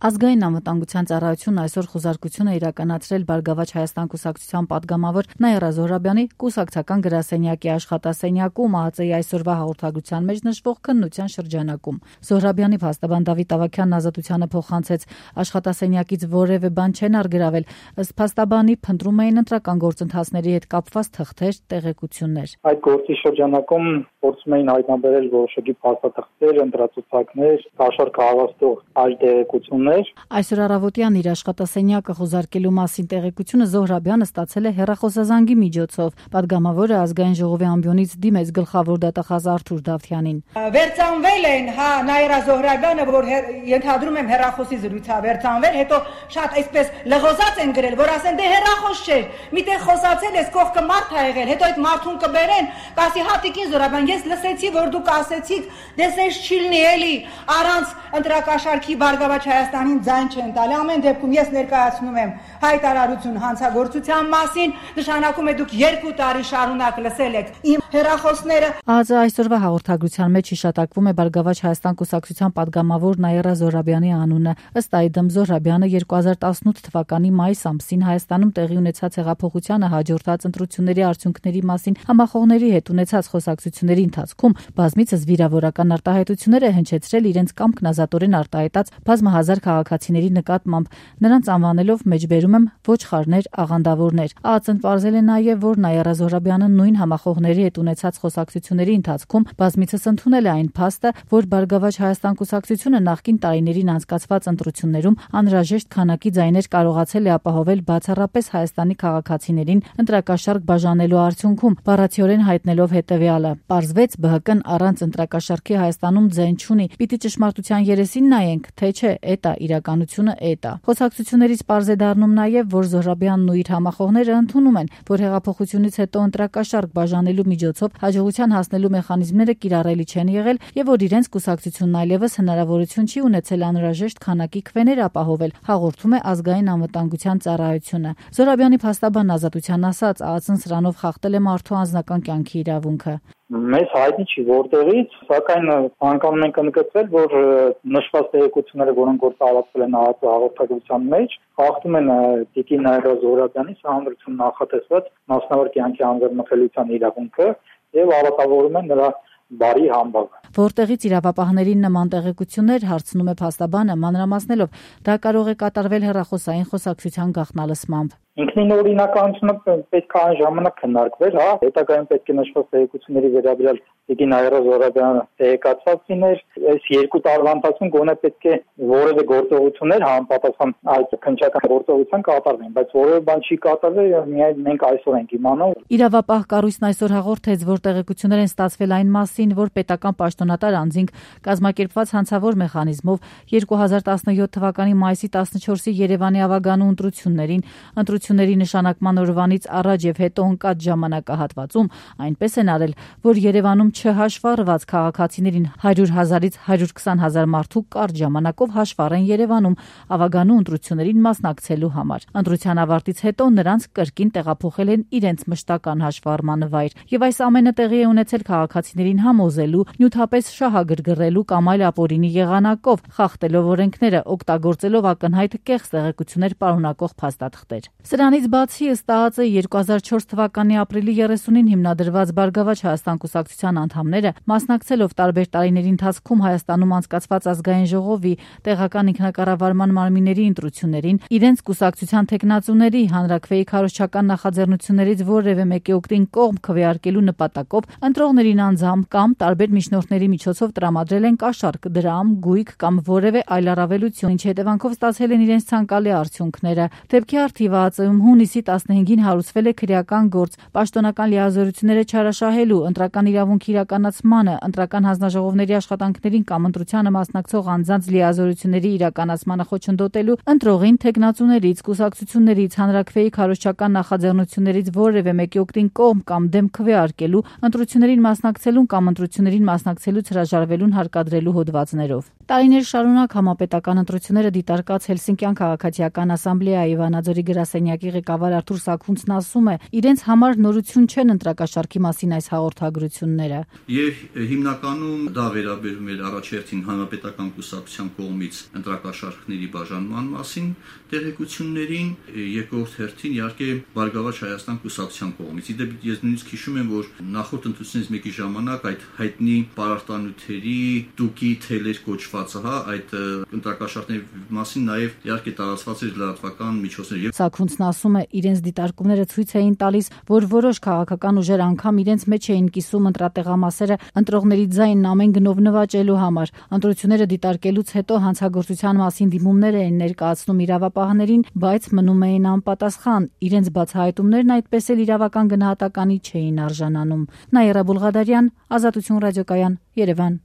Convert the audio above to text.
Ազգային անվտանգության ծառայությունն այսօր խոզարկություն է իրականացրել Բարգավաճ Հայաստան կուսակցության պատգամավոր Նաիրա Զոհրաբյանի կուսակցական գրասենյակի աշխատասենյակում ԱԱԾ-ի այսօրվա հաղորդագրության մեջ նշվող քննության շրջանակում։ Զոհրաբյանի փաստաբան Դավիթ Ավագյանն Ազատությանը փոխանցեց, աշխատասենյակից որևէ բան չեն առգրավել, ըստ փաստաբանի փնտրում էին ընտրական գործընթացների հետ կապված թղթեր, տեղեկություններ։ Այդ գործի շրջանակում փորձում էին հայտնաբերել որոշակի փաստաթղթեր, ընտրացուցակներ, կաշառք հավաստող այլ տեղեկություններ։ Այսօր առավոտյան իր աշխատասենյակը խոզարկելու մասին տեղեկությունը Զոհրաբյանը ստացել է հեռախոսազանգի միջոցով։ Պատգամավորը ազգային ժողովի ամբիոնից դիմեց գլխավոր դատախազ Արթուր Դավթյանին։ Վերցանվել են Նաիրա Զոհրաբյանը, որ ենթադրում եմ հեռախոսի զրույցա վերցանվել, հետո շատ այսպես լղոզած են գրել, որ ասեն դե հեռախոս չէր, միտեղ խոսացել ես, կողքը մարդ ա եղել, հետո այդ մարդուն կբերեն, կասի հատիկին Զոհրաբյան, ես լսեցի, որ դուք ասեցիք, դեսես չիլնի էլի, առանց ընտրակաշառքի Բարգավաճ Հայաստանին ձայն չեն տալի։ Ամեն դեպքում ես ներկայացնում եմ հայտարարություն հանցագործության մասին, նշանակում է դուք 2 տարի շարունակ լսել եք իմ հեռախոսները։ ԱԱԾ այսօրվա հաղորդագրության մեջ հիշատակվում է Բարգավաճ Հայաստան կուսակցության պատգամավոր Նաիրա Զոհրաբյանի անունը։ Ըստ այդմ Զոհրաբյանը 2018 թվականի մայիս ամսին Հայաստանում տեղի ունեցած հեղափոխությանը հաջորդած ընտրությունների արդյունքների մասին համախոհների հետ ունեցած խոսակցությունների ընթացքում բազմիցս վիրավորական արտահայտություններ է հնչեցրել իրենց կամքն ազատորեն արտահայտած բազմահազար քաղաքացիների նկատմամբ, նրանց անվանելով մեջբերում եմ ոչխարներ, աղանդավորներ։ ԱԱԾ-ն պարզել է նաև, որ Նաիրա Զոհրաբյանը նույն համախոհների հետ ունեցած խոսակցությունների ընթացքում բազմիցս ընդունել է այն փաստը, որ Բարգավաճ Հայաստան կուսակցությունը նախկին տարիներին անցկացված ընտրություններում անհրաժեշտ քանակի ձայներ կարողացել է ապահովել բացառապես Հայաստանի քաղաքացիներին ընտրակաշառք բաժանելու արդյունքում, բառացիորեն հայտնելով հետևյալը. պարզվեց ԲՀԿ-ն առանց ընտրակաշառքի Հայաստանում ձայն չունի, պիտի ճշմարտության երեսին նայենք, թե չէ, էտա իրականությունը էտա։ Խոսակցություններից պարզ է դառնում նաև, որ Զոհրաբյանն ու իր համախոհները ընդունում են, որ հեղափոխությունից հետո ընտրակաշառք բաժանելու միջոցով հաջողության հասնելու մեխանիզմները կիրառելի չեն եղել եւ որ իրենց կուսակցությունն այլևս հնարավորություն չի ունեցել անհրաժեշտ քանակի քվեներ ապահովել, հաղորդում է ազգային անվտանգության ծառայությունը։ Զոհրաբյանի փաստաբան Ազատության ասած, ԱԱԾ-ն սրանով խախտել է մարդու անձնական կյանքի իրավունքը։ Մեզ հայտնի չի որտեղից, սակայն անգամ ենք ընդգծել, որ նշված տեղեկությունները, որոնք որ տարածվել են ԱԱԾ հաղորդագրության մեջ, խախտում են տիկին Նաիրա Զոհրաբյանի սահմանադրություն նախատեսված մասնավոր կյանքի անձնամխելիության իրավունքը եւ ավատավորում են նրա բարի համբավը։ Որտեղից իրավապահներին նման տեղեկություններ, հարցնում է փաստաբանը, մանրամասնելով, դա կարող է կատարվել հեռախոսային խոսակցության գաղտնալսմամբ։ Ինքնին օրինականությունը պետք է այն ժամանակ քննարկվեր, հետագայում պետք է նշված տեղեկությունների վերաբերյալ տիկին Նաիրա Զոհրաբյանը տեղեկացված լիներ, այս 2 տարվա ընթացքում գոնե պետք է որևէ գործողություններ համապատասխան այդ քննչական գործողության կատարվեն, բայց որևէ բան չի կատարվել, միայն մենք այսօր ենք իմանում։ Իրավապահ կառույցն այսօր հաղորդեց, որ տեղեկություններ են ստացվել այն մասին, որ պետական պաշտոնատար անձինք կազմակերպված հանցավոր մեխանիզմով 2017 թվականի մայիսի 14-ի Երևանի ավագանու ընտրությունների նշանակման օրվանից առաջ եւ հետո ընկած ժամանակահատվածում այնպես են արել, որ Երևանում չհաշվառված քաղաքացիներին 100,000-ից 120,000 մարդու կարճ ժամանակով հաշվառ են Երևանում ավագանու ընտրություններին մասնակցելու համար։ Ընտրության ավարտից հետո նրանց կրկին տեղափոխել են իրենց մշտական հաշվառման վայր եւ այս ամենը տեղի է ունեցել քաղաքացիներին համոզելու, նյութապես շահագրգռելու կամ այլ ապօրինի եղանակով, խախտելով օրենքները, օգտագործելով ակնհայտ կեղծ տեղեկություններ պարունակող փաստաթղթեր։ Սրանից բացի ըստ ԱԱԾ 2004 թվականի ապրիլի 30-ին հիմնադրված Բարգավաճ Հայաստան կուսակցության անդամները մասնակցելով տարբեր տարիների ընթացքում Հայաստանում անցկացված ազգային ժողովի տեղական ինքնակառավարման մարմինների ընտրություններին իրենց կուսակցության թեկնածուների հանրաքվեի քարոզչական նախաձեռնություններից որևէ մեկի օգտին կողմ քվեարկելու նպատակով ընտրողներին անձամբ կամ տարբեր միջնորդների միջոցով տրամադրել են կաշառք, դրամ, գույք կամ որևէ այլ առավելություն, ինչի հետևանքով ստացել են իրենց ցանկալի արդյունքները։ Դեպքի առթիվ ԱԱԾ-ում հունիսի 15-ին հարուցվել է քրեական գործ պաշտոնական լիազորությունները չարաշահելու, ընտրական իրավունքի իրականացմանը, ընտրական հանձնաժողովների աշխատանքներին կամ ընտրությանը մասնակցող անձանց լիազորությունների իրականացմանը խոչընդոտելու, ընտրողին թեկնածուներից, կուսակցություններից, հանրաքվեի քարոզչական նախաձեռնություններից որևէ մեկի օգտին կողմ կամ դեմ քվեարկելու, ընտրություններին մասնակցելուն կամ ընտրություններին մասնակցելուց հրաժարվելուն հարկադրելու հոդվածներով։ Տարիներ շարունակ համապետական ընտրությունները դիտարկած Հելսինկյան քաղաքացիական ասամբլեայի Վանաձորի գրասենյակի գրասենյակի ղեկավար Արթուր Սաքունցն ասում է, իրենց համար նորություն չեն ընտրակաշառքի մասին այս հաղորդագրությունները։ Եվ հիմնականում դա վերաբերում էր առաջերտին հանրապետական կուսակցության կողմից ընտրակաշառքների բաժանման մասին տեղեկություններին, երկրորդ հերթին իհարկե Բարգավաճ Հայաստան կուսակցության կողմից։ Իդեպ ես նույնիսկ հիշում եմ, որ նախորդ ընտրությունից մեկի ժամանակ այդ հայտնի պարարտանյութերի տուկի թելեր կոչվածը, այդ ընտրակաշառքների մասին նաև իհարկե տարածված էր լրատվական միջոցներ։ Սաքունցն ասում է, իրենց դիտարկումները ցույց էին տալիս, որ որոշ քաղաքական ուժեր անգամ իրենց մեջ էին կիսում ընտրատեղամասերը ընտրողների ձայնն ամեն գնով նվաճելու համար։ Ընտրությունները դիտարկելուց հետո հանցագործության մասին դիմումներ էին ներկայացնում իրավապահներին, բայց մնում էին անպատասխան։ Իրենց բացահայտումներն այդպես էլ իրավական գնահատականի չէին արժանանում։ Նաիրա Բուլղադարյան, Ազատություն ռադիոկայան, Երևան։